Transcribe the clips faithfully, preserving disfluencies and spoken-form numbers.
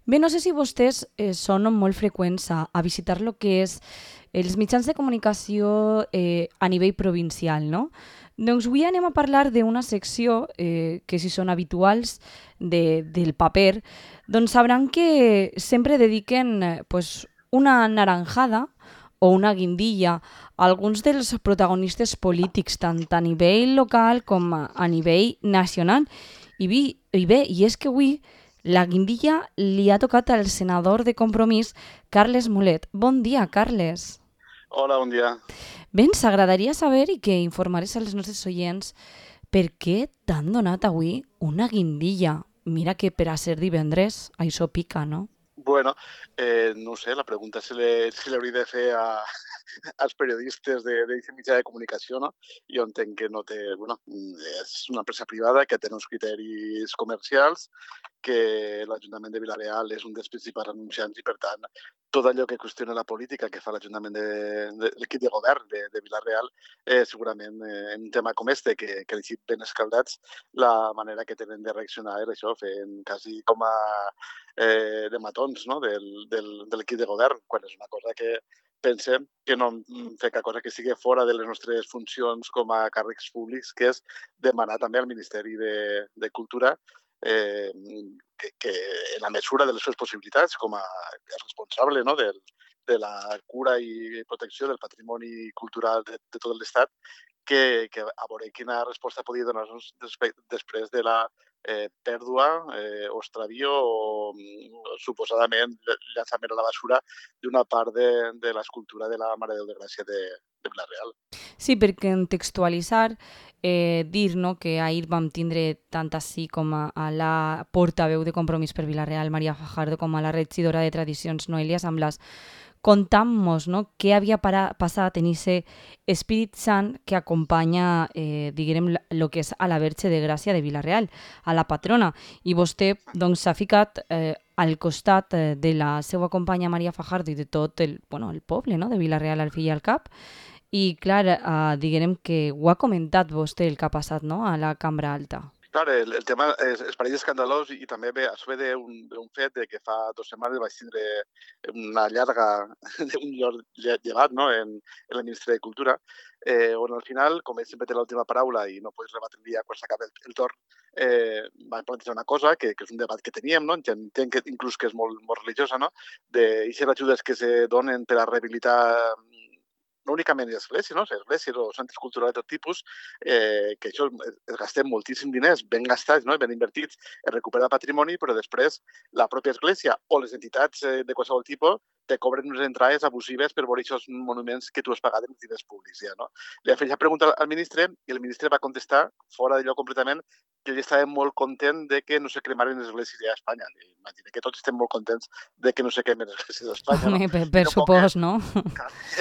Bé, no sé si vostès eh, són molt freqüents a, a visitar lo que és els mitjans de comunicació eh, a nivell provincial, no? Doncs avui anem a parlar d'una secció eh, que si són habituals de, del paper, doncs sabran que sempre dediquen eh, pues, una naranjada o una guindilla a alguns dels protagonistes polítics, tant a nivell local com a, a nivell nacional. I, vi, I bé, i és que avui la guindilla li ha tocat al senador de Compromís, Carles Mulet. Bon dia, Carles. Hola, bon dia. Bé, ens agradaria saber i que informarés als nostres oients per què t'han donat avui una guindilla. Mira que per a ser divendres això pica, no? Bueno, eh, no ho sé, la pregunta se l'hauria de fer a, als periodistes d'aquest mitjà de comunicació, no? Jo entenc que no té... Bueno, és una empresa privada que té uns criteris comercials, que l'Ajuntament de Vila-real és un dels principals anunciants i, per tant, tot allò que qüestiona la política que fa l'Ajuntament de, de l'equip de govern de, de Vila-real, eh, segurament eh, en un tema com este, que, que han sigut ben escaldats, la manera que tenen de reaccionar és això, fent quasi com a eh, de matons, no? del, del, de l'equip de govern, quan és una cosa que pensem que no fer cap cosa que sigui fora de les nostres funcions com a càrrecs públics, que és demanar també al Ministeri de, de Cultura eh, que, que en la mesura de les seves possibilitats com a responsable, no? del, de la cura i protecció del patrimoni cultural de, de tot l'Estat, que, que a veure quina resposta podia donar-nos després de la eh, pèrdua eh, o extravío o, o suposadament llançament a la basura d'una part de, de l'escultura de la Mare de Déu de Gràcia de, de Vila-real. Sí, perquè en textualitzar, eh, dir no, que ahir vam tindre tant així com a, a la portaveu de Compromís per Vila-real, Maria Fajardo, com a la regidora de Tradicions, Noelia Samblas, contamos no, què havia para, passat en aquest Espírit Sant que acompanya, eh, diguem, el que és a la Verge de Gràcia de Vila-real, a la patrona. I vostè doncs, s'ha ficat eh, al costat eh, de la seva companya Maria Fajardo i de tot el, bueno, el poble no, de Vila-real al fill i al cap. I, clar, eh, diguem que ho ha comentat vostè el que ha passat no, a la cambra alta. Clar, el, el tema és, és parell escandalós i també ve, això ve d'un fet de que fa dues setmanes vaig tindre una llarga, un lloc llevat no? en, en la Ministra de Cultura, eh, on al final, com ell sempre té l'última paraula i no pots rebatre el dia quan s'acaba el, el torn, eh, va plantejar una cosa que, que és un debat que teníem, no? Entenc que inclús que és molt, molt religiosa, no? De aquestes ajudes que se donen per a rehabilitar no únicament l'església, no? L'església o centres culturals de tot tipus, eh, que això es gastem moltíssim diners, ben gastats, no? Ben invertits en recuperar patrimoni, però després la pròpia església o les entitats eh, de qualsevol tipus te cobren unes entrades abusives per veure aquests monuments que tu has pagat en els diners públics. Ja, no? Li ha fet la pregunta al ministre i el ministre va contestar, fora d'allò completament, que ell estava molt content de que no se cremaren les esglésies a Espanya. Imagina que tots estem molt contents de que no se cremen les esglésies a Espanya. Home, No? per, per supòs, no?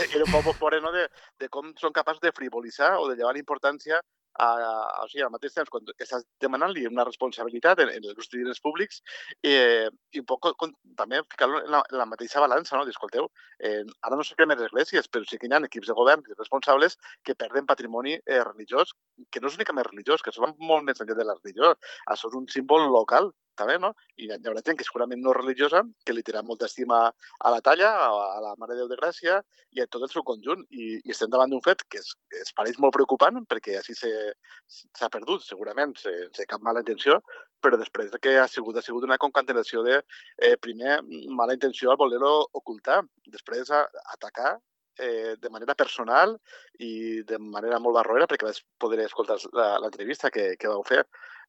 Era un poc fora no? de, de com són capaços de frivolitzar o de llevar importància a, a, o sigui, al mateix temps, quan estàs demanant-li una responsabilitat en, en els diners públics eh, i un poc con, també ficar-lo en, la, en la mateixa balança, no? Escolteu, eh, ara no sé cremen les esglésies, però sí que hi ha equips de govern i responsables que perden patrimoni eh, religiós, que no és únicament religiós, que això va molt més enllà de la religió. Això és un símbol local, també, no? I hi haurà gent que segurament no religiosa, que li tira molta estima a la talla, a la Mare de Déu de Gràcia i a tot el seu conjunt. I, i estem davant d'un fet que es, es pareix molt preocupant perquè així s'ha perdut, segurament, sense cap mala intenció, però després que ha sigut, ha sigut una concatenació de, eh, primer, mala intenció al voler-ho ocultar, després a, atacar eh, de manera personal i de manera molt barroera, perquè vaig poder escoltar l'entrevista que, que vau fer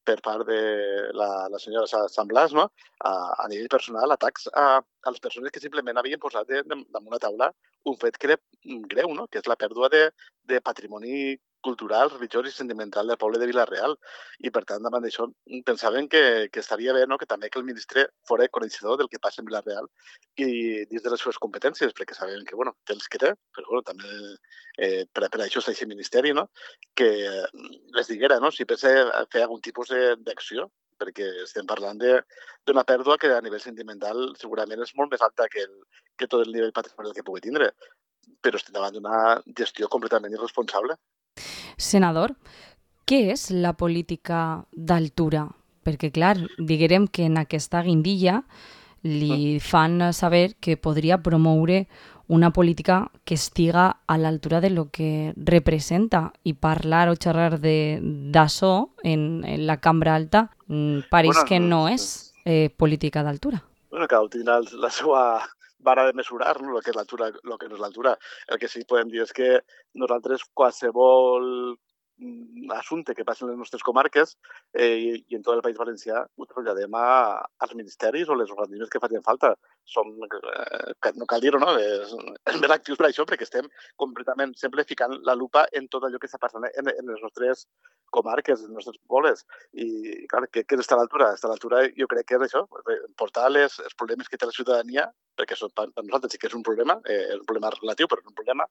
per part de la, la senyora Sant Blas, no? a, a nivell personal, atacs a, a les persones que simplement havien posat de, de, damunt la taula un fet que era greu, no? Que és la pèrdua de, de patrimoni cultural, religiós i sentimental del poble de Vila-real. I, per tant, davant d'això, pensaven que, que estaria bé no? que també que el ministre fos coneixedor del que passa en Vila-real i dins de les seves competències, perquè sabem que, bueno, té els que té, però bueno, també eh, per, per això està aquest ministeri, no? Que les diguera, no? Si pensa fer algun tipus d'acció, perquè estem parlant d'una pèrdua que a nivell sentimental segurament és molt més alta que, el, que tot el nivell patrimonial que pugui tindre, però estem davant d'una gestió completament irresponsable. Senador, què és la política d'altura? Perquè, clar, diguem que en aquesta guindilla li fan saber que podria promoure una política que estiga a l'altura de lo que representa i parlar o xerrar d'això en, en la cambra alta mm, pareix Bueno, que no sí. és eh, política d'altura. Bueno, cada tindrà el- la seva vara de mesurar, no? El que és l'altura, el que no és l'altura. El que sí que podem dir és que nosaltres qualsevol mm, assumpte que passi en les nostres comarques eh, i, i en tot el País Valencià ho traslladem a, als ministeris o les organismes que facin falta. Som, eh, que no cal dir-ho, no? És, és més actius per això, perquè estem completament sempre ficant la lupa en tot allò que està passant en, en les nostres comarques, en els nostres pobles. I, clar, què, què està a l'altura? Està a l'altura, jo crec que és això, portar les, els problemes que té la ciutadania, perquè això per, per nosaltres sí que és un problema, eh, és un problema relatiu, però és un problema,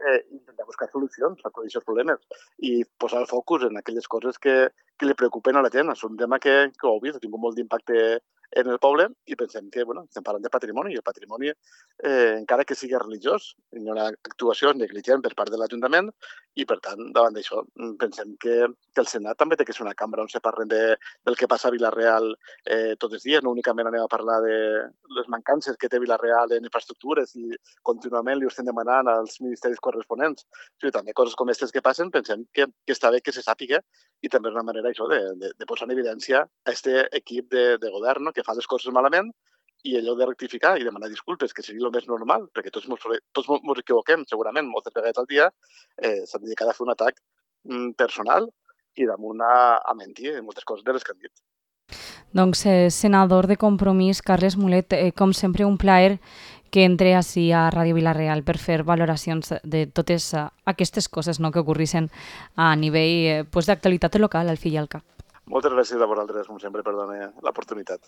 eh, intentar buscar solucions a tots aquests problemes i posar el focus en aquelles coses que, que li preocupen a la gent. És un tema que, que ho heu vist, ha tingut molt d'impacte en el poble i pensem que, bueno, estem parlant de patrimoni i el patrimoni, eh, encara que sigui religiós, hi ha una actuació negligent per part de l'Ajuntament i, per tant, davant d'això, pensem que, que el Senat també té que ser una cambra on se parlen de, del que passa a Vila-real eh, tots els dies, no únicament anem a parlar de les mancances que té Vila-real en infraestructures i contínuament li estem demanant als ministeris corresponents. Sí, també coses com aquestes que passen, pensem que, que està bé que se sàpiga i també és una manera això de, de, de posar en evidència a aquest equip de, de govern, no?, que fa les coses malament i allò de rectificar i demanar disculpes, que seria el més normal, perquè tots mos, tots mos equivoquem, segurament, moltes vegades al dia, eh, s'ha dedicat a fer un atac mm, personal i damunt a, a mentir en moltes coses de les que han dit. Doncs, eh, senador de Compromís, Carles Mulet, eh, com sempre un plaer que entre així a Ràdio Vila-real per fer valoracions de totes uh, aquestes coses, no?, que ocorrissin a nivell eh, pues, d'actualitat local, al fi i al cap. Moltes gràcies a vosaltres, com sempre, per donar l'oportunitat.